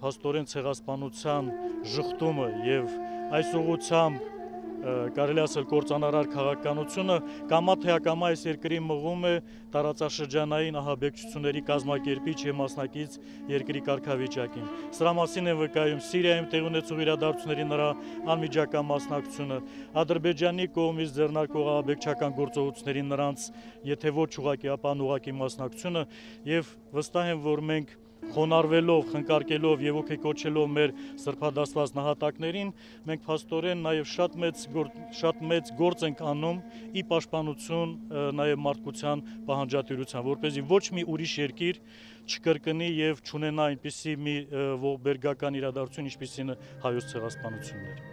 փաստորեն ցեղասպանության ժխտումը եւ այս ուղղությամբ կարելի ասել կործանարար քաղաքականությունը կամա թե ակամա այս երկրի մղում է տարածաշրջանային ահաբեկչությունների կազմակերպիչ եւ մասնակից երկրի կարգավիճակին։ Սրա մասին է վկայում Սիրիայում տեղի ունեցող իրադարձությունների նրա անմիջական մասնակցությունը, Ադրբեջանի կողմից ձեռնարկվող ահաբեկչական գործողությունների նրանց եթե ոչ ուղղակի, ապա անուղղակի մասնակցությունը եւ վստահ եմ, որ մենք խոնարհվելով, խնկարկելով եւ ոգեկոչելով մեր սրբադասված նահատակներին, մենք փաստորեն նաեւ շատ մեծ գործ ենք անում ի պաշտպանություն նաեւ մարդկության պահանջատիրության, որպեսզի ոչ մի ուրիշ երկիր չկրկնի եւ չունենա այնպիսի մի ողբերգական իրադարձություն, ինչպիսին է հայոց ցեղասպանությունները։